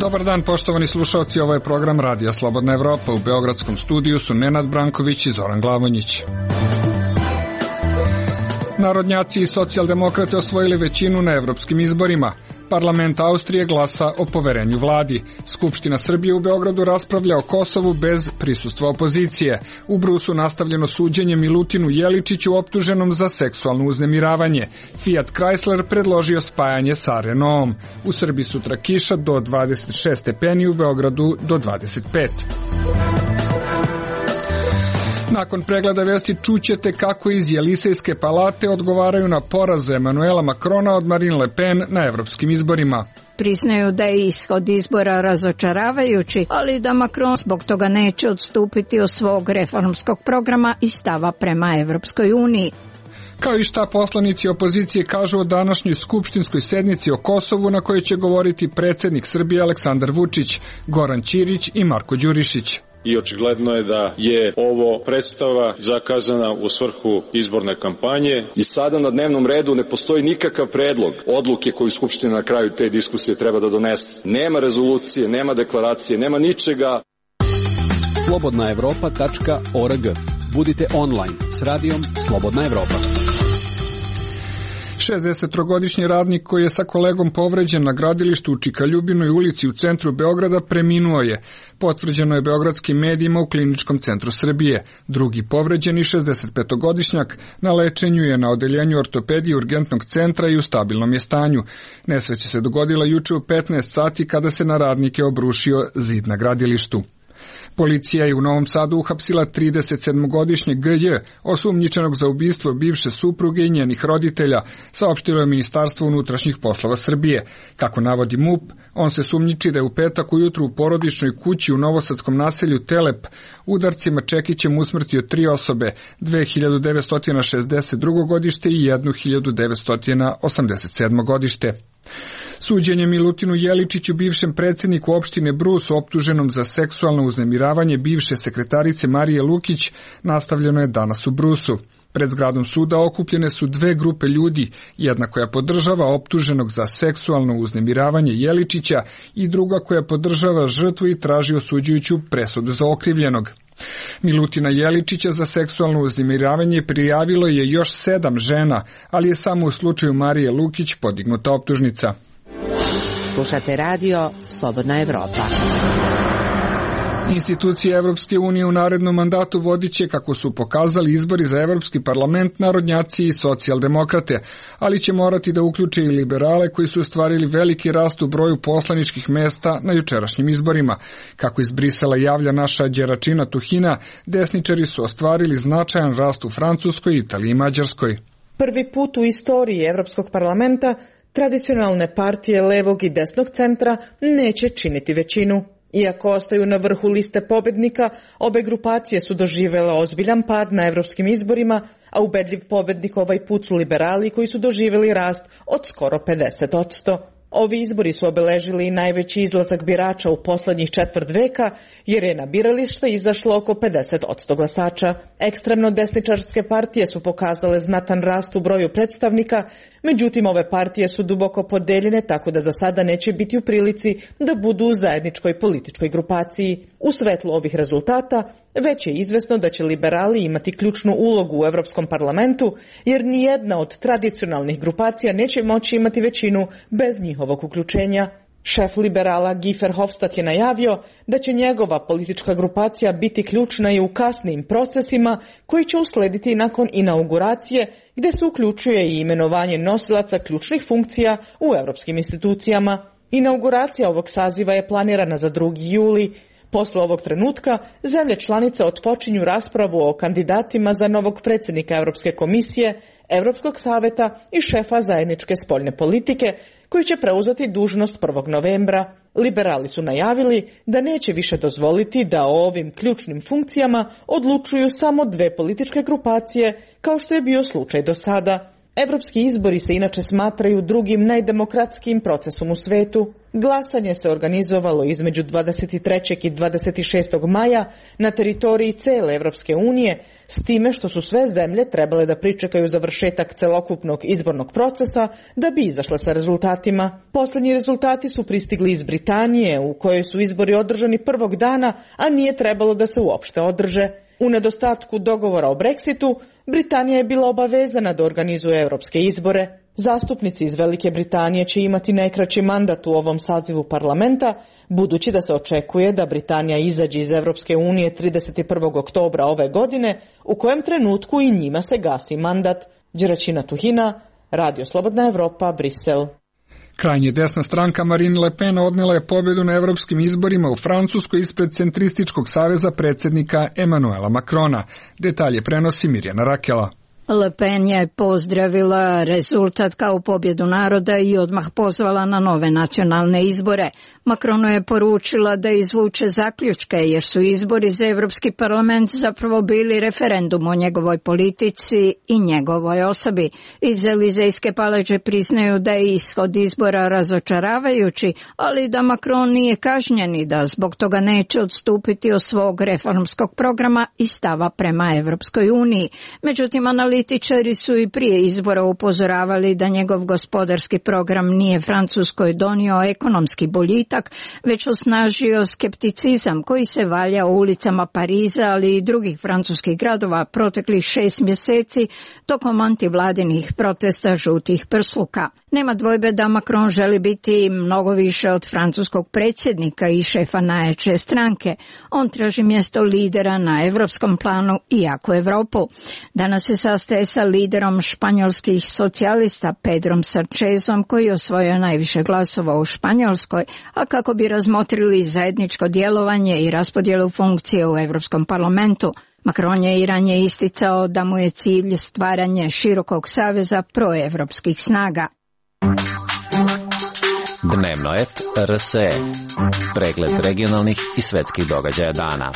Dobar dan, poštovani slušalci, ovo je program Radija Slobodna Evropa. U beogradskom studiju su Nenad Branković i Zoran Glavonjić. Narodnjaci i socijaldemokrate osvojili većinu na evropskim izborima. Parlament Austrije glasa o poverenju vladi. Skupština Srbije u Beogradu raspravlja o Kosovu bez prisustva opozicije. U Brusu nastavljeno suđenje Milutinu Jeličiću optuženom za seksualno uznemiravanje. Fiat Chrysler predložio spajanje sa Renaultom. U Srbiji sutra kiša do 26 stepeni, u Beogradu do 25. Nakon pregleda vesti čućete kako iz Jelisejske palate odgovaraju na poraz Emanuela Macrona od Marine Le Pen na evropskim izborima. Priznaju da je ishod izbora razočaravajući, ali da Macron zbog toga neće odstupiti od svog reformskog programa i stava prema Evropskoj uniji. Kao i šta poslanici opozicije kažu o današnjoj skupštinskoj sednici o Kosovu na kojoj će govoriti predsjednik Srbije Aleksandar Vučić, Goran Ćirić i Marko Đurišić. I očigledno je da je ovo predstava zakazana u svrhu izborne kampanje. I sada na dnevnom redu ne postoji nikakav predlog odluke koju Skupština na kraju te diskusije treba da donese. Nema rezolucije, nema deklaracije, nema ničega. slobodnaevropa.org. Budite online s radijom Slobodna Evropa. 63-godišnji radnik koji je sa kolegom povređen na gradilištu u Čikaljubinoj ulici u centru Beograda preminuo je. Potvrđeno je beogradskim medijima u Kliničkom centru Srbije. Drugi povređeni, 65-godišnjak, na lečenju je na odeljenju ortopedije urgentnog centra i u stabilnom je stanju. Nesreća se dogodila juče u 15 sati kada se na radnike obrušio zid na gradilištu. Policija je u Novom Sadu uhapsila 37-godišnjeg GJ, osumnjičenog za ubistvo bivše supruge i njenih roditelja, saopštilo je Ministarstvo unutrašnjih poslova Srbije. Kako navodi MUP, on se sumnjiči da je u petak ujutru u porodičnoj kući u novosadskom naselju Telep udarcima čekićem usmrtio 3 osobe, 2962. godište i 1987. godište. Suđenje Milutinu Jeličiću, bivšem predsjedniku opštine Brus, optuženom za seksualno uznemiravanje bivše sekretarice Marije Lukić, nastavljeno je danas u Brusu. Pred zgradom suda okupljene su dve grupe ljudi, jedna koja podržava optuženog za seksualno uznemiravanje Jeličića i druga koja podržava žrtvu i traži osuđujuću presudu za okrivljenog. Milutina Jeličića za seksualno uznemiravanje prijavilo je još 7 žena, ali je samo u slučaju Marije Lukić podignuta optužnica. Slušate radio Slobodna Evropa. Institucije Evropske unije u narednom mandatu vodit će, kako su pokazali izbori za Evropski parlament, narodnjaci i socijaldemokrate, ali će morati da uključe i liberale koji su ostvarili veliki rast u broju poslaničkih mesta na jučerašnjim izborima. Kako iz Brisela javlja naša Đeračina Tuhina, desničari su ostvarili značajan rast u Francuskoj, Italiji i Mađarskoj. Prvi put u istoriji Evropskog parlamenta tradicionalne partije levog i desnog centra neće činiti većinu. Iako ostaju na vrhu liste pobednika, obe grupacije su doživjele ozbiljan pad na evropskim izborima, a ubedljiv pobednik ovaj put su liberali koji su doživjeli rast od skoro 50%. Ovi izbori su obeležili i najveći izlazak birača u poslednjih četvrt veka, jer je na biralište izašlo oko 50% glasača. Ekstremno desničarske partije su pokazale znatan rast u broju predstavnika, međutim ove partije su duboko podeljene tako da za sada neće biti u prilici da budu u zajedničkoj političkoj grupaciji. U svetlu ovih rezultata već je izvesno da će liberali imati ključnu ulogu u Evropskom parlamentu, jer nijedna od tradicionalnih grupacija neće moći imati većinu bez njihovog uključenja. Šef liberala Guy Verhofstadt je najavio da će njegova politička grupacija biti ključna i u kasnijim procesima koji će uslediti nakon inauguracije, gde se uključuje i imenovanje nosilaca ključnih funkcija u evropskim institucijama. Inauguracija ovog saziva je planirana za 2. juli. Posle ovog trenutka, zemlje članice otpočinju raspravu o kandidatima za novog predsjednika Evropske komisije, Evropskog saveta i šefa zajedničke spoljne politike, koji će preuzeti dužnost 1. novembra. Liberali su najavili da neće više dozvoliti da o ovim ključnim funkcijama odlučuju samo dve političke grupacije, kao što je bio slučaj do sada. Evropski izbori se inače smatraju drugim najdemokratskijim procesom u svetu. Glasanje se organizovalo između 23. i 26. maja na teritoriji cele Evropske unije, s time što su sve zemlje trebale da pričekaju završetak celokupnog izbornog procesa da bi izašle sa rezultatima. Poslednji rezultati su pristigli iz Britanije, u kojoj su izbori održani prvog dana, a nije trebalo da se uopšte održe. U nedostatku dogovora o Brexitu, Britanija je bila obavezana da organizuje evropske izbore. Zastupnici iz Velike Britanije će imati najkraći mandat u ovom sazivu parlamenta, budući da se očekuje da Britanija izađe iz Evropske unije 31. oktobra ove godine, u kojem trenutku i njima se gasi mandat. Đeraćina Tuhina, Radio Slobodna Evropa, Brisel. Krajnje desna stranka Marine Le Pen odnela je pobjedu na evropskim izborima u Francuskoj ispred centrističkog saveza predsjednika Emmanuela Macrona. Detalje prenosi Mirjana Rakela. Le Pen je pozdravila rezultat kao pobjedu naroda i odmah pozvala na nove nacionalne izbore. Macronu je poručila da izvuče zaključke jer su izbori za Evropski parlament zapravo bili referendum o njegovoj politici i njegovoj osobi. Iz Elizejske palače priznaju da je ishod izbora razočaravajući, ali da Macron nije kažnjen i da zbog toga neće odstupiti od svog reformskog programa i stava prema Evropskoj uniji. Međutim, analitičari su i prije izbora upozoravali da njegov gospodarski program nije Francuskoj donio ekonomski boljitak, već osnažio skepticizam koji se valja u ulicama Pariza, ali i drugih francuskih gradova proteklih 6 mjeseci tokom antivladinih protesta žutih prsluka. Nema dvojbe da Macron želi biti mnogo više od francuskog predsjednika i šefa najjače stranke. On traži mjesto lidera na evropskom planu i jaku Evropu. Danas se sastaje sa liderom španjolskih socijalista Pedrom Sanchezom, koji je osvojio najviše glasova u Španjolskoj, a kako bi razmotrili zajedničko djelovanje i raspodjelu funkcije u Europskom parlamentu. Macron je i ranije isticao da mu je cilj stvaranje širokog saveza proevropskih snaga. Dnevno et RSE. Pregled regionalnih i svetskih događaja dana.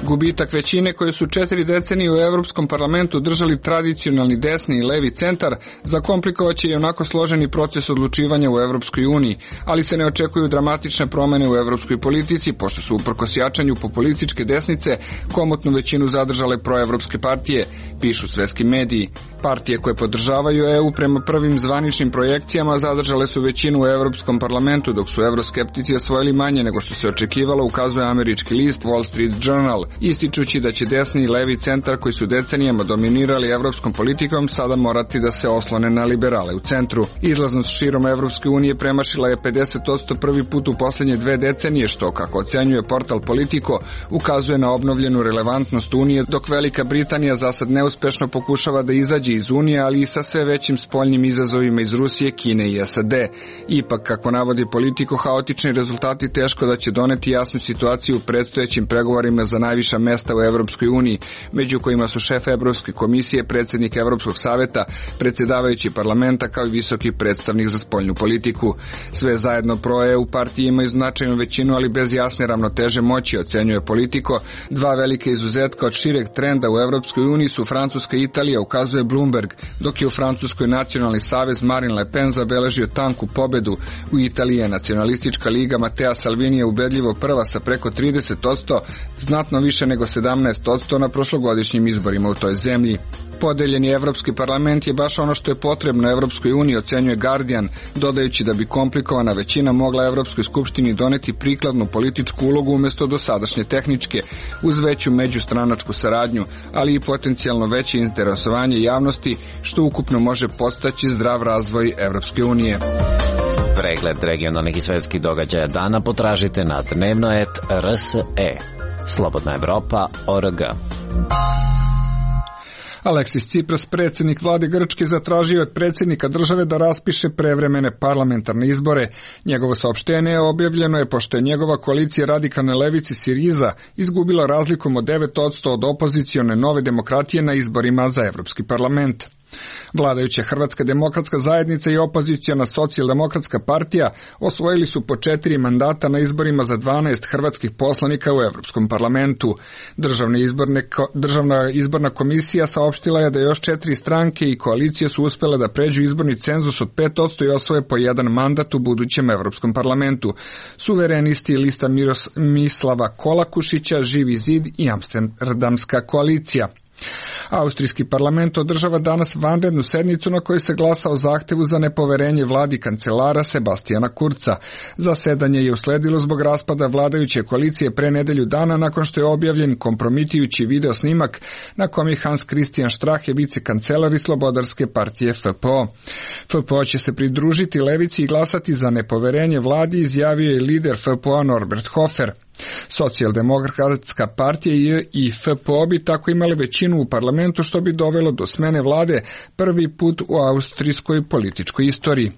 Gubitak većine koje su 4 decenije u Evropskom parlamentu držali tradicionalni desni i levi centar zakomplikovaće i onako složeni proces odlučivanja u Evropskoj uniji, ali se ne očekuju dramatične promjene u evropskoj politici, pošto su uprkos jačanju populističke desnice komotnu većinu zadržale proevropske partije, pišu svetski mediji. Partije koje podržavaju EU prema prvim zvaničnim projekcijama zadržale su većinu u Evropskom parlamentu, dok su evroskeptici osvojili manje nego što se očekivalo, ukazuje američki list Wall Street Journal, ističući da će desni i levi centar koji su decenijama dominirali evropskom politikom sada morati da se oslone na liberale u centru. Izlaznost širom Evropske unije premašila je 50% prvi put u posljednje 2 decenije, što, kako ocenjuje portal Politico, ukazuje na obnovljenu relevantnost Unije, dok Velika Britanija zasad neuspešno pokušava da izađe iz Unije, ali i sa sve većim spoljnim izazovima iz Rusije, Kine i SAD. Ipak, kako navodi Politico, haotični rezultati teško da će doneti jasnu situaciju u predstojećim pregovorima za najviša mesta u Evropskoj uniji, među kojima su šef Evropske komisije, predsjednik Evropskog saveta, predsjedavajući parlamenta kao i visoki predstavnik za spoljnu politiku. Sve zajedno pro-EU partije imaju značajnu većinu, ali bez jasne ravnoteže moći, ocenjuje Politico. 2 velike izuzetka od šireg trenda u Evropskoj uniji su Francuska i Italija, ukazuje Bloomberg, dok je u Francuskoj nacionalni savez Marine Le Pen zabeležio tanku pobedu. U Italiji je nacionalistička liga Matteo Salvinija ubedljivo prva sa preko 30%, znatno više nego 17% na prošlogodišnjim izborima u toj zemlji. Podeljeni Evropski parlament je baš ono što je potrebno Evropskoj uniji, ocenjuje Guardian, dodajući da bi komplikovana većina mogla Evropskoj skupštini doneti prikladnu političku ulogu umjesto dosadašnje tehničke, uz veću međustranačku saradnju, ali i potencijalno veće interesovanje javnosti, što ukupno može podstaći zdrav razvoj Evropske unije. Pregled regionalnih i svetskih događaja dana potražite na dnevnoet.rse. Slobodna Evropa.org. Aleksis Tsipras, predsjednik vlade Grčke, zatražio od predsjednika države da raspiše prevremene parlamentarne izbore. Njegovo saopštenje objavljeno je pošto je njegova koalicija radikalne levice Siriza izgubila razlikom od 9% od opozicione Nove demokratije na izborima za Evropski parlament. Vladajuća Hrvatska demokratska zajednica i opoziciona socijaldemokratska partija osvojili su po 4 mandata na izborima za 12 hrvatskih poslanika u Evropskom parlamentu. Državna izborna komisija saopštila je da još 4 stranke i koalicije su uspjele da pređu izborni cenzus od 5% i osvoje po 1 mandat u budućem Evropskom parlamentu. Suverenisti, lista Mislava Kolakušića, Živi zid i Amsterdamska koalicija. Austrijski parlament održava danas vanrednu sednicu na kojoj se glasa o zahtevu za nepoverenje vladi kancelara Sebastijana Kurca. Zasedanje je usledilo zbog raspada vladajuće koalicije pre nedelju dana nakon što je objavljen kompromitujući video snimak na kom je Hans Christian Strache, vicekancelar i Slobodarske partije FPO. FPO će se pridružiti levici i glasati za nepoverenje vladi, izjavio je lider FPO Norbert Hofer. Socijaldemokratska partija i FPO bi tako imali većinu u parlamentu, što bi dovelo do smene vlade prvi put u austrijskoj političkoj istoriji.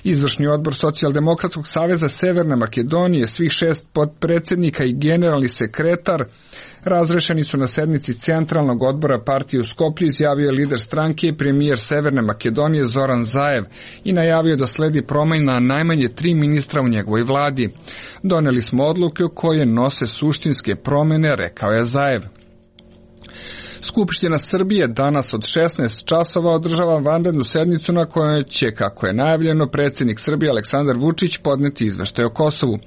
Izvršni odbor Socijaldemokratskog saveza Severne Makedonije, svih 6 potpredsjednika i generalni sekretar razrešeni su na sednici Centralnog odbora partije u Skoplju, izjavio je lider stranke i premijer Severne Makedonije Zoran Zaev i najavio da sledi promjena najmanje 3 ministra u njegovoj vladi. Doneli smo odluke koje nose suštinske promjene, rekao je Zaev. Skupština Srbije danas od 16 časova održava vanrednu sednicu na kojoj će, kako je najavljeno, predsjednik Srbije Aleksandar Vučić podneti izveštaj o Kosovu.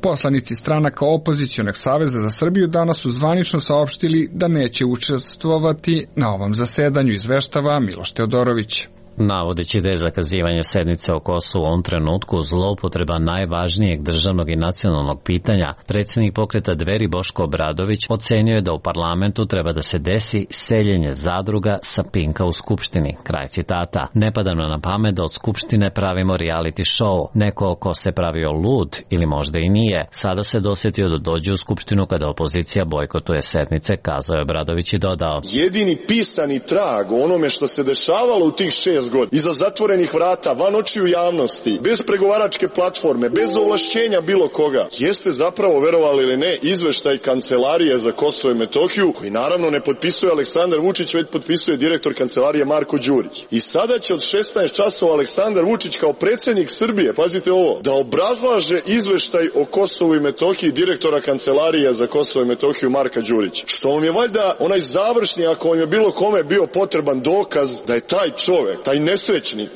Poslanici stranaka opozicionog saveza za Srbiju danas su zvanično saopštili da neće učestvovati na ovom zasedanju, izveštava Miloš Teodorović. Navodeći da je zakazivanje sednice o Kosovu u ovom trenutku zloupotreba najvažnijeg državnog i nacionalnog pitanja, predsjednik pokreta Dveri Boško Obradović ocenio je da u parlamentu treba da se desi seljenje zadruga sa Pinka u Skupštini. Kraj citata. Ne pada nam na pamet da od Skupštine pravimo reality show. Neko ko se pravio lud ili možda i nije, sada se dosjetio da dođe u Skupštinu kada opozicija bojkotuje sednice, kazao je Obradović i dodao. Jedini pisani trag o onome što se dešavalo u tih 6 godina, iza zatvorenih vrata, van očiju javnosti, bez pregovaračke platforme, bez ovlašćenja bilo koga, jeste zapravo, verovali ili ne, izveštaj Kancelarije za Kosovo i Metohiju, koji naravno ne potpisuje Aleksandar Vučić, već potpisuje direktor Kancelarije Marko Đurić. I sada će od 16 časova Aleksandar Vučić kao predsjednik Srbije, pazite ovo, da obrazlaže izveštaj o Kosovu i Metohiji direktora Kancelarije za Kosovo i Metohiju Marka Đurića. Što vam je valjda onaj završni, ako vam je bilo kome bio potreban dokaz da je taj čovek, taj nesrećnik,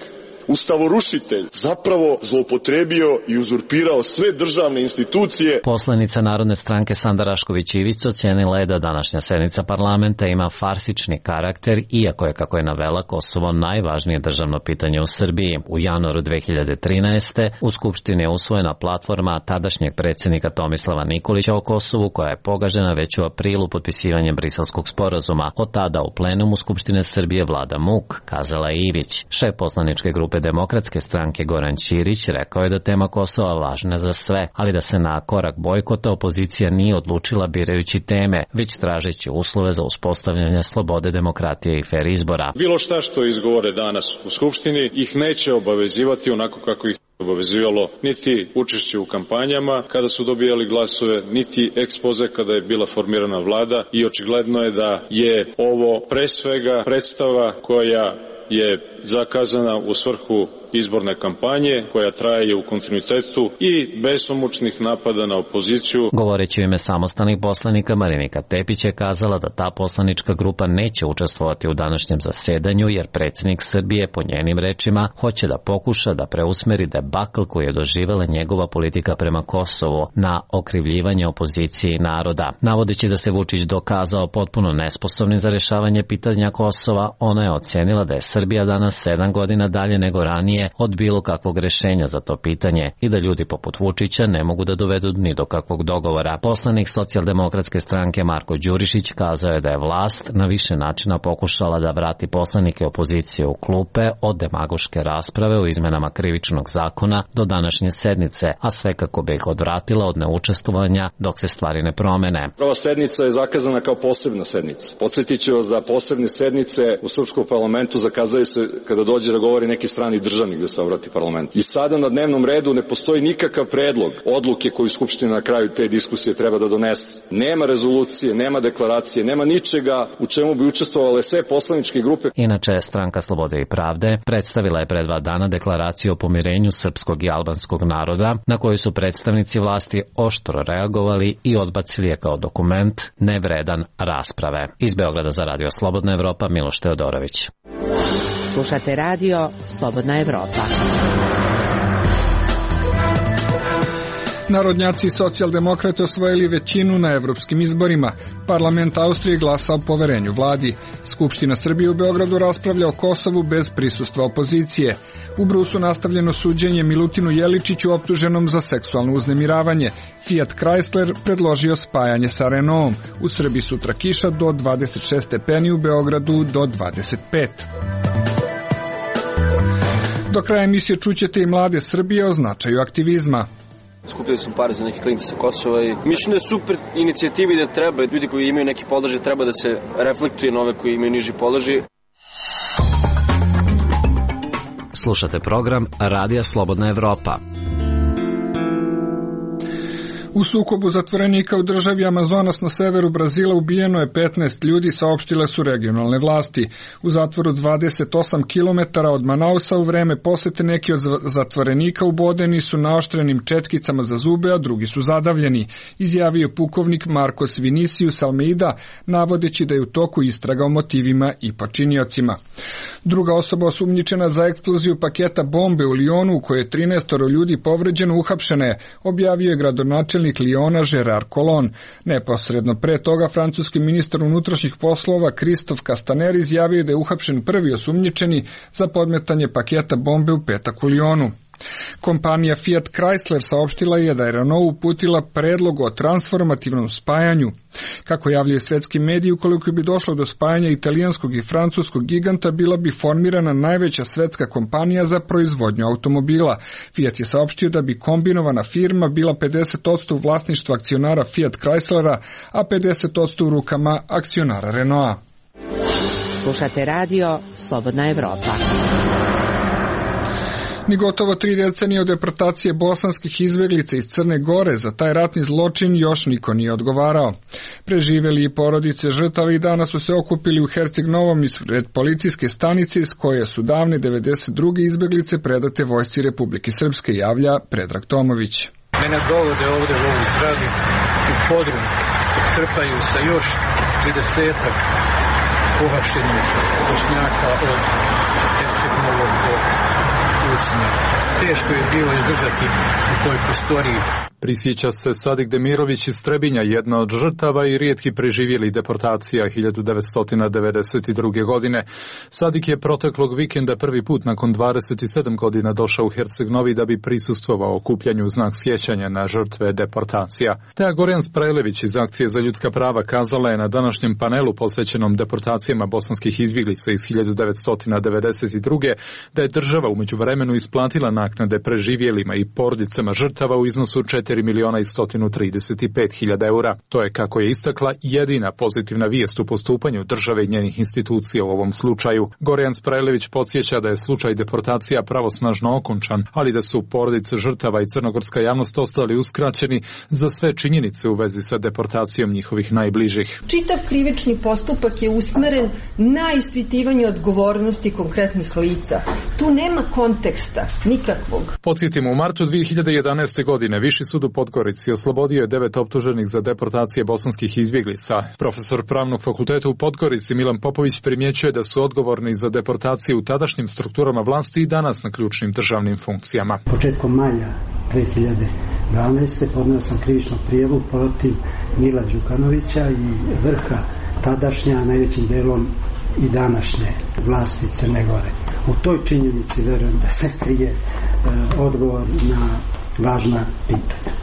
ustavorušitelj, zapravo zloupotrebio i uzurpirao sve državne institucije. Poslanica Narodne stranke Sanda Rašković-Ivić ocenila je da današnja sednica parlamenta ima farsični karakter, iako je, kako je navela, Kosovo najvažnije državno pitanje u Srbiji. U januaru 2013. u Skupštini je usvojena platforma tadašnjeg predsjednika Tomislava Nikolića o Kosovu, koja je pogažena već u aprilu potpisivanjem Briselskog sporazuma. Od tada u plenumu Skupštine Srbije vlada muk, kazala je Ivić. Šef poslaničke grupe Demokratske stranke Goran Ćirić rekao je da tema Kosova važna za sve, ali da se na korak bojkota opozicija nije odlučila birajući teme, već tražeći uslove za uspostavljanje slobode, demokratije i fer izbora. Bilo šta što izgovore danas u Skupštini ih neće obavezivati onako kako ih obavezivalo niti učešće u kampanjama kada su dobijali glasove, niti ekspoze kada je bila formirana vlada, i očigledno je da je ovo pre svega predstava koja je zakazana u svrhu izborne kampanje, koja traje u kontinuitetu i besomučnih napada na opoziciju. Govoreći u ime samostalnih poslanika, Marinika Tepić je kazala da ta poslanička grupa neće učestvovati u današnjem zasedanju, jer predsjednik Srbije, po njenim rečima, hoće da pokuša da preusmeri debakl koji je doživela njegova politika prema Kosovu na okrivljivanje opozicije i naroda. Navodeći da se Vučić dokazao potpuno nesposobnim za rešavanje pitanja Kosova, ona je ocenila da je Srbija danas 7 godina dalje nego ranije od bilo kakvog rešenja za to pitanje i da ljudi poput Vučića ne mogu da dovedu ni do kakvog dogovora. Poslanik Socijaldemokratske stranke Marko Đurišić kazao je da je vlast na više načina pokušala da vrati poslanike opozicije u klupe od demagoške rasprave o izmenama krivičnog zakona do današnje sednice, a sve kako bi ih odvratila od neučestvovanja dok se stvari ne promene. Prva sednica je zakazana kao posebna sednica. Podsjetit ću vas da posebne sednice u srpskom parlamentu zakazaju se kada dođe da govori neki strani državnik državnik gde se obrati parlament. I sada na dnevnom redu ne postoji nikakav predlog odluke koju Skupština na kraju te diskusije treba da donese. Nema rezolucije, nema deklaracije, nema ničega u čemu bi učestvovale sve poslaničke grupe. Inače, Stranka slobode i pravde predstavila je pre 2 dana deklaraciju o pomirenju srpskog i albanskog naroda, na koju su predstavnici vlasti oštro reagovali i odbacili je kao dokument nevredan rasprave. Iz Beograda za Radio Slobodna Evropa, Miloš Teodorović. Slušate radio Slobodna Evropa. Narodnjaci i socijaldemokrate osvojili većinu na evropskim izborima. Parlament Austrije glasa o poverenju vladi. Skupština Srbije u Beogradu raspravlja o Kosovu bez prisustva opozicije. U Brusu nastavljeno suđenje Milutinu Jeličiću optuženom za seksualno uznemiravanje. Fiat Chrysler predložio spajanje sa Renaultom. U Srbiji sutra kiša do 26 stepeni, u Beogradu do 25. Do kraja emisije čućete i mlade Srbije o značaju aktivizma. Skupili su pare za neke klinice sa Kosova i mislim da je super inicijativi da treba, ljudi koji imaju neki položaj treba da se reflektuje na ove koji imaju niži položaj. Slušate program Radija Slobodna Evropa. U sukobu zatvorenika u državi Amazonas na severu Brazila ubijeno je 15 ljudi, saopštile su regionalne vlasti. U zatvoru 28 km od Manausa u vreme posete neki od zatvorenika ubodeni su naoštrenim četkicama za zube, a drugi su zadavljeni, izjavio pukovnik Marcos Vinicius Almeida, navodeći da je u toku istraga o motivima i počiniocima. Druga osoba osumnjičena za eksploziju paketa bombe u Lionu, u kojoj je 13 ljudi povređeno, uhapšena je, objavio je gradonačelnik Liona Gerard Collomb. Neposredno pre toga francuski ministar unutrašnjih poslova Christophe Castaner izjavio da je uhapšen prvi osumnjičeni za podmetanje paketa bombe u petak u Lionu. Kompanija Fiat Chrysler saopštila je da je Renault uputila predlog o transformativnom spajanju. Kako javljaju svetski mediji, ukoliko bi došlo do spajanja italijanskog i francuskog giganta, bila bi formirana najveća svetska kompanija za proizvodnju automobila. Fiat je saopštio da bi kombinovana firma bila 50% u vlasništvu akcionara Fiat Chryslera, a 50% u rukama akcionara Renaulta. Slušate radio Slobodna Evropa. Ni gotovo 3 decenije od deportacije bosanskih izbeglica iz Crne Gore za taj ratni zločin još niko nije odgovarao. Preživeli i porodice žrtava i danas su se okupili u Herceg Novom ispred policijske stanice iz koje su davne 92. izbeglice predate vojsci Republike Srpske, javlja Predrag Tomović. Mene dovode ovde u ovu zgradu, u podrum, trpaju sa još 30-ak uhapšenih Bošnjaka od Herceg Novog do Teško je bilo izdržati u toj prostoriji. Prisjeća se Sadik Demirović iz Trebinja, jedna od žrtava i rijetki preživjeli deportacija 1992. godine. Sadik je proteklog vikenda prvi put nakon 27 godina došao u Herceg Novi da bi prisustvovao okupljanju u znak sjećanja na žrtve deportacija. Teja Gorjan Sprajlević iz Akcije za ljudska prava kazala je na današnjem panelu posvećenom deportacijama bosanskih izbjeglica iz 1992. da je država umeđu vremenu isplatila naknade preživjelima i porodicama žrtava u iznosu 4.135.000 eura. To je, kako je istakla, jedina pozitivna vijest u postupanju države i njenih institucija u ovom slučaju. Gorjan Sprajlević podsjeća da je slučaj deportacija pravosnažno okončan, ali da su porodice žrtava i crnogorska javnost ostali uskraćeni za sve činjenice u vezi sa deportacijom njihovih najbližih. Čitav krivični postupak je usmeren na ispitivanje odgovornosti konkretnih lica. Tu nema konteksta nikakvog. Podsjetimo, u martu 2011. godine Viši sud u Podgorici oslobodio je 9 optuženih za deportacije bosanskih izbjeglica. Profesor Pravnog fakulteta u Podgorici Milan Popović primjećuje da su odgovorni za deportacije u tadašnjim strukturama vlasti i danas na ključnim državnim funkcijama. Početkom maja 2012. podneo sam krivičnu prijavu protiv Mila Đukanovića i vrha tadašnja, najvećim delom i današnje vlasti Crne Gore. U toj činjenici verujem da se krije odgovor na važna pitanja.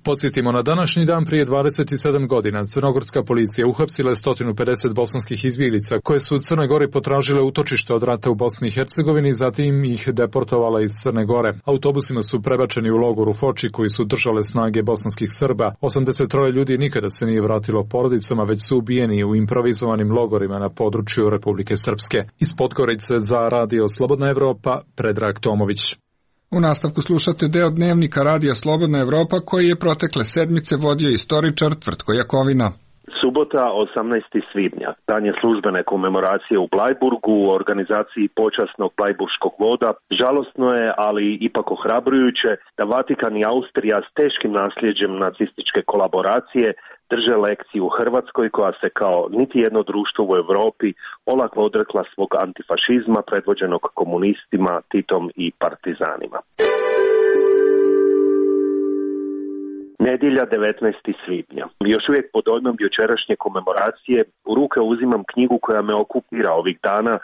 Podsjetimo, na današnji dan prije 27 godina crnogorska policija uhapsila je 150 bosanskih izbjeglica koje su u Crnoj Gori potražile utočište od rata u Bosni i Hercegovini, zatim ih deportovala iz Crne Gore. Autobusima su prebačeni u logor u Foči koji su držale snage bosanskih Srba. 83 ljudi nikada se nije vratilo porodicama, već su ubijeni u improvizovanim logorima na području Republike Srpske. Iz Podgorice za Radio Slobodna Evropa, Predrag Tomović. U nastavku slušate deo dnevnika Radija Slobodna Evropa koji je protekle sedmice vodio istoričar Tvrtko Jakovina. Subota, 18. svibnja, dan je službene komemoracije u Blajburgu u organizaciji počasnog blajburškog voda. Žalosno je, ali ipak ohrabrujuće, da Vatikan i Austrija s teškim nasljeđem nacističke kolaboracije drže lekciju u Hrvatskoj koja se kao niti jedno društvo u Europi olako odrekla svog antifašizma predvođenog komunistima, Titom i partizanima. Nedjelja, 19. svibnja. Još uvijek pod dojmom jučerašnje komemoracije u ruke uzimam knjigu koja me okupira ovih dana,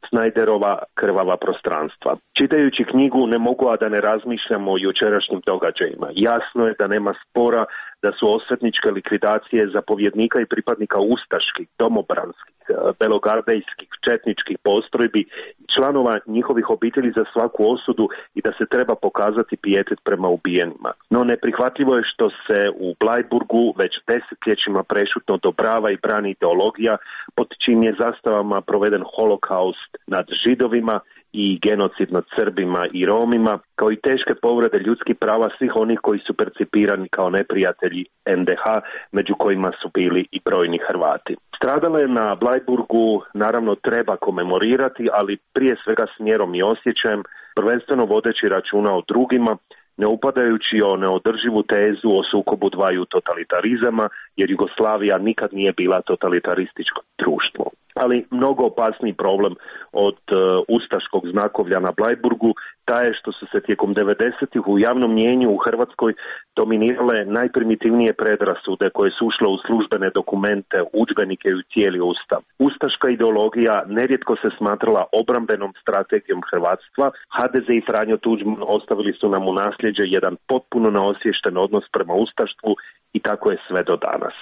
Snajderova Krvava prostranstva. Čitajući knjigu ne mogu a da ne razmišljam o jučerašnjim događajima. Jasno je da nema spora da su osvetničke likvidacije zapovjednika i pripadnika ustaških, domobranskih, belogardejskih, četničkih postrojbi i članova njihovih obitelji za svaku osudu i da se treba pokazati pijetet prema ubijenima. No neprihvatljivo je što se u Blajburgu već desetljećima prešutno odobrava i brani ideologija pod čim je zastavama proveden holokaust nad Židovima i genocid nad Srbima i Romima, kao i teške povrede ljudskih prava svih onih koji su percipirani kao neprijatelji NDH, među kojima su bili i brojni Hrvati. Stradale na Blajburgu naravno treba komemorirati, ali prije svega s mjerom i osjećajem, prvenstveno vodeći računa o drugima, ne upadajući o neodrživu tezu o sukobu dvaju totalitarizama, jer Jugoslavija nikad nije bila totalitarističko društvo. Ali mnogo opasniji problem od ustaškog znakovlja na Blajburgu taj je što su se tijekom 90-ih u javnom mnijenju u Hrvatskoj dominirale najprimitivnije predrasude koje su ušle u službene dokumente, udžbenike i u cijeli ustav. Ustaška ideologija nerijetko se smatrala obrambenom strategijom hrvatstva. HDZ i Franjo Tuđman ostavili su nam u nasljeđe jedan potpuno neosviješten odnos prema ustaštvu i tako je sve do danas.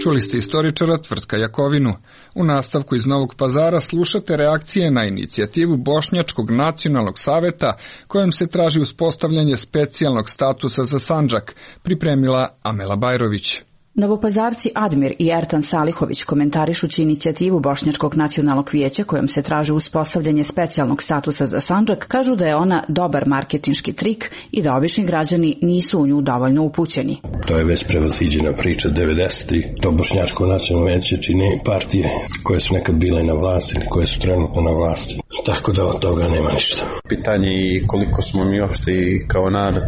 Čuli ste istoričara Tvrtka Jakovinu. U nastavku iz Novog Pazara slušate reakcije na inicijativu Bošnjačkog nacionalnog saveta kojom se traži uspostavljanje specijalnog statusa za Sandžak, pripremila Amela Bajrović. Novopazarci Admir i Ertan Salihović, komentarišući inicijativu Bošnjačkog nacionalnog vijeća kojom se traži uspostavljanje specijalnog statusa za Sandžak, kažu da je ona dobar marketinški trik i da obični građani nisu u nju dovoljno upućeni. To je već prevaziđena priča 90-ih. To Bošnjačko nacionalno vijeće čini partije koje su nekad bile na vlasti ili koje su trenutno na vlasti. Tako da od toga nema ništa. Pitanje je koliko smo mi uopšte i kao narod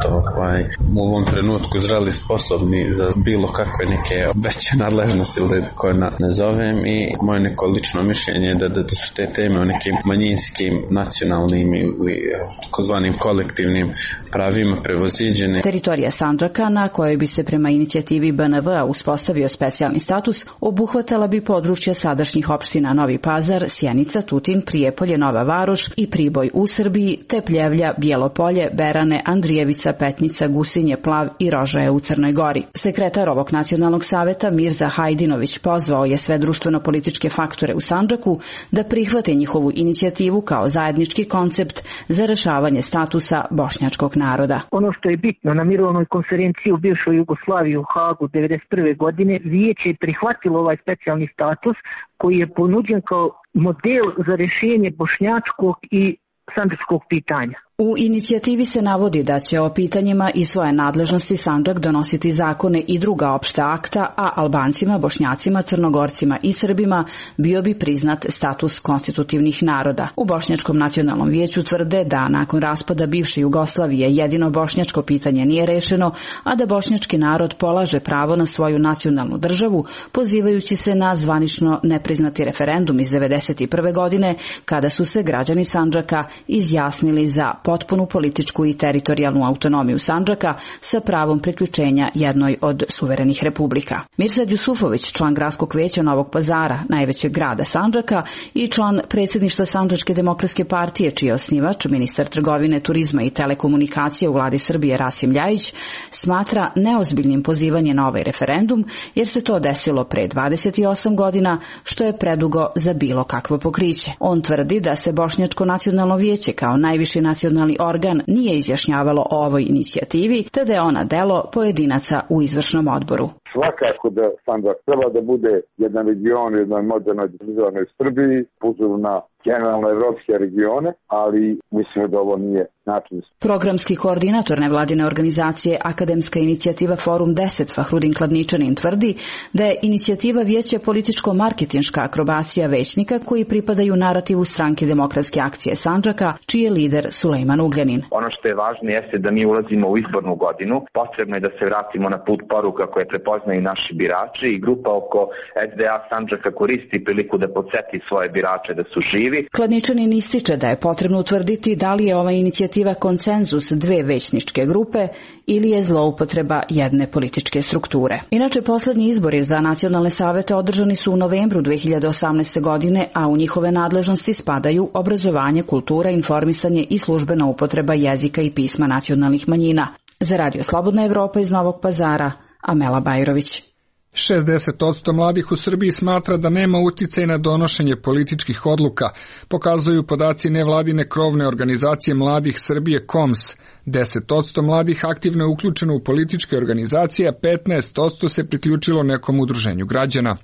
u ovom trenutku zreli sposobni za bilo kakve neke veće nadležnosti ili koje nazovem i moje neko lično mišljenje je da su te teme o nekim manjinskim, nacionalnim ili takozvanim kolektivnim pravima prevaziđene. Teritorija Sandžaka, na kojoj bi se prema inicijativi BNV-a uspostavio specijalni status, obuhvatala bi područja sadašnjih opština Novi Pazar, Sjenica, Tutin, Prijepolje, Nova Varoš i Priboj u Srbiji, te Pljevlja, Bijelopolje, Berane, Andrijevica, Petnica, Gusinje, Plav i Rožaje u Crnoj Gori. Sekretar ovog nacionalnog saveta Mirza Hajdinović pozvao je sve društveno-političke faktore u Sandžaku da prihvate njihovu inicijativu kao zajednički koncept za rešavanje statusa bošnjačkog naroda. Ono što je bitno, na mirovnoj konferenciji u bivšoj Jugoslaviji u Hagu 1991. godine vijeće je prihvatilo ovaj specijalni status koji je ponuđen kao model za rješenje bošnjačkog i sandžačkog pitanja. U inicijativi se navodi da će o pitanjima iz svoje nadležnosti Sandžak donositi zakone i druga opšta akta, a Albancima, Bošnjacima, Crnogorcima i Srbima bio bi priznat status konstitutivnih naroda. U Bošnjačkom nacionalnom vijeću tvrde da nakon raspada bivše Jugoslavije jedino bošnjačko pitanje nije rešeno, a da bošnjački narod polaže pravo na svoju nacionalnu državu, pozivajući se na zvanično nepriznati referendum iz 1991. godine, kada su se građani Sandžaka izjasnili za potpunu političku i teritorijalnu autonomiju Sandžaka sa pravom priključenja jednoj od suverenih republika. Mirsad Jusufović, član gradskog veća Novog Pazara, najvećeg grada Sandžaka, i član predsjedništva Sandžačke demokratske partije, čiji je osnivač, ministar trgovine, turizma i telekomunikacije u vladi Srbije Rasim Ljajić, smatra neozbiljnim pozivanje na ovaj referendum, jer se to desilo pre 28 godina, što je predugo za bilo kakvo pokriće. On tvrdi da se Bošnjačko nacionalno vijeće kao najviši nacionalni organ nije izjašnjavalo o ovoj inicijativi, te da je ona delo pojedinaca u izvršnom odboru. Svakako da Sandžak treba da bude jedan region u jednoj modernoj državnoj Srbiji, po uzoru na generalno evropske regione, ali mislim da ovo nije način. Programski koordinator nevladine organizacije Akademska inicijativa Forum 10 Fahrudin Kladničanin tvrdi da je inicijativa vijeća političko-marketinška akrobacija većnika koji pripadaju narativu Stranke demokratske akcije Sandžaka, čiji je lider Sulejman Ugljanin. Ono što je važno jeste da mi ulazimo u izbornu godinu, potrebno je da se vratimo na put poruka koje prepoznaju naši birači i grupa oko SDA Sandžaka koristi priliku da podsjeti svoje birače da su živi. Kladničanin ističe da je potrebno utvrditi da li je ova inicijativa konsenzus dve većničke grupe ili je zloupotreba jedne političke strukture. Inače, poslednji izbori za nacionalne savete održani su u novembru 2018. godine, a u njihove nadležnosti spadaju obrazovanje, kultura, informisanje i službena upotreba jezika i pisma nacionalnih manjina. Za Radio Slobodna Evropa iz Novog Pazara, Amela Bajrović. 60% mladih u Srbiji smatra da nema uticaj na donošenje političkih odluka, pokazuju podaci nevladine krovne organizacije mladih Srbije KOMS. 10% mladih aktivno je uključeno u političke organizacije, a 15% se priključilo nekom udruženju građana.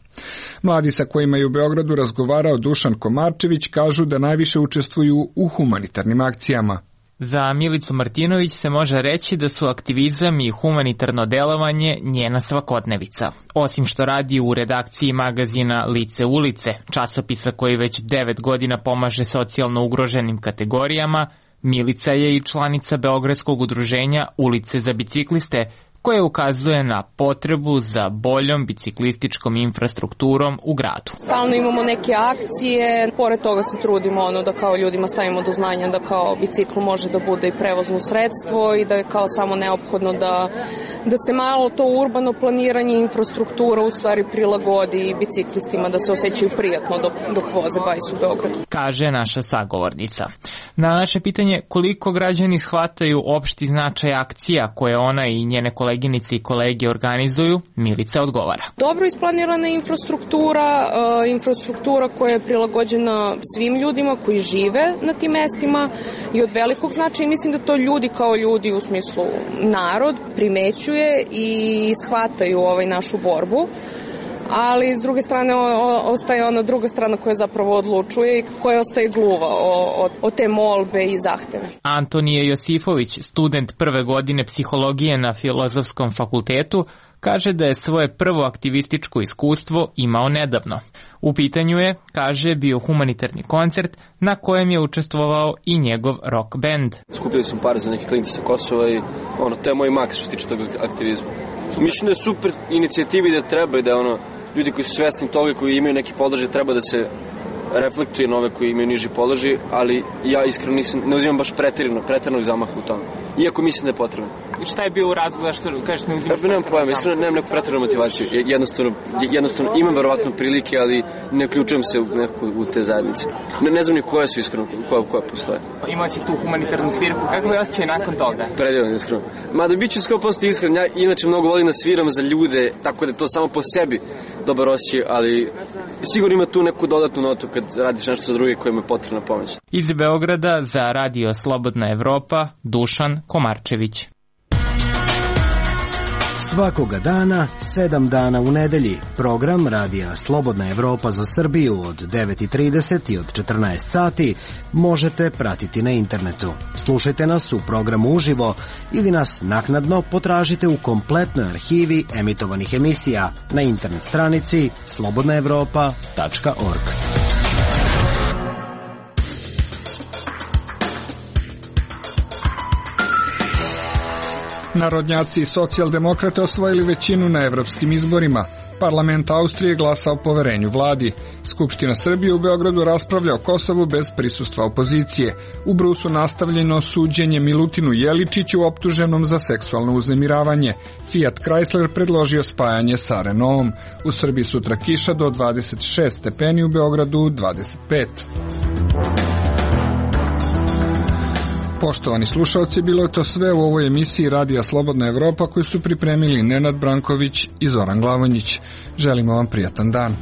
Mladi sa kojima je u Beogradu razgovarao Dušan Komarčević kažu da najviše učestvuju u humanitarnim akcijama. Za Milicu Martinović se može reći da su aktivizam i humanitarno delovanje njena svakodnevica. Osim što radi u redakciji magazina Lice ulice, časopisa koji već 9 godina pomaže socijalno ugroženim kategorijama, Milica je i članica Beogradskog udruženja Ulice za bicikliste, koje ukazuje na potrebu za boljom biciklističkom infrastrukturom u gradu. Stalno imamo neke akcije, pored toga se trudimo da kao ljudima stavimo do znanja da kao bicikl može da bude i prevozno sredstvo i da je kao samo neophodno da se malo to urbano planiranje i infrastruktura u stvari prilagodi biciklistima, da se osjećaju prijatno dok voze bajs u Beogradu. Kaže naša sagovornica. Na naše pitanje koliko građani shvataju opšti značaj akcija koje ona i njene koleginice i kolege organizuju, Milica odgovara. Dobro isplanirana infrastruktura koja je prilagođena svim ljudima koji žive na tim mestima i od velikog značaja. Mislim da to ljudi kao ljudi u smislu narod primećuje i shvataju našu borbu. Ali s druge strane ostaje ona druga strana koja zapravo odlučuje i koja ostaje gluva od te molbe i zahteve. Antonije Josifović, student prve godine psihologije na Filozofskom fakultetu, kaže da je svoje prvo aktivističko iskustvo imao nedavno. U pitanju je, kaže, bio humanitarni koncert na kojem je učestvovao i njegov rock band. Skupili smo pare za neke klince sa Kosova i to je moj maks što se tiče tog aktivizma. Mislim da je super inicijativi da treba i da ljudi koji su svesni toga i koji imaju neki položaj treba da se reflektuje na ove koji imaju niži položaj, ali ja iskreno ne uzimam baš preteranog zamaha u tome. Iako mislim da je potrebno. I šta je bio razlog zašto kažeš ne uzimaš? Nemam pojma, iskreno nemam neku preteranu motivaciju. Jednostavno imam verovatno prilike, ali ne uključujem se u te zajednice. Ne znam ni koje su iskreno, koja postoje. Imao si tu humanitarnu svirku, kako je osjećaj nakon toga? Predivan, iskreno. Mada bit ću 100% iskren, ja inače mnogo volim da sviram za ljude, tako da je to samo po sebi dobar osjećaj, ali sigurno ima tu neku dodatnu notu kad radiš nešto za druge kojima je potrebna pomoć. Iz Beograda za Radio Slobodna Evropa, Dušan Komarčević. Svakoga dana, 7 dana u nedelji, program Radija Slobodna Evropa za Srbiju od 9:30 i od 14 sati možete pratiti na internetu. Slušajte nas u programu uživo ili nas naknadno potražite u kompletnoj arhivi emitovanih emisija na internet stranici slobodnaevropa.org. Narodnjaci i socijaldemokrate osvojili većinu na evropskim izborima. Parlament Austrije glasa o poverenju vladi. Skupština Srbije u Beogradu raspravlja o Kosovu bez prisustva opozicije. U Brusu nastavljeno suđenje Milutinu Jeličiću optuženom za seksualno uznemiravanje. Fiat Chrysler predložio spajanje sa Renaultom. U Srbiji sutra kiša do 26 stepeni, u Beogradu 25. Poštovani slušalci, bilo je to sve u ovoj emisiji Radija Slobodna Evropa koju su pripremili Nenad Branković i Zoran Glavonjić. Želimo vam prijatan dan.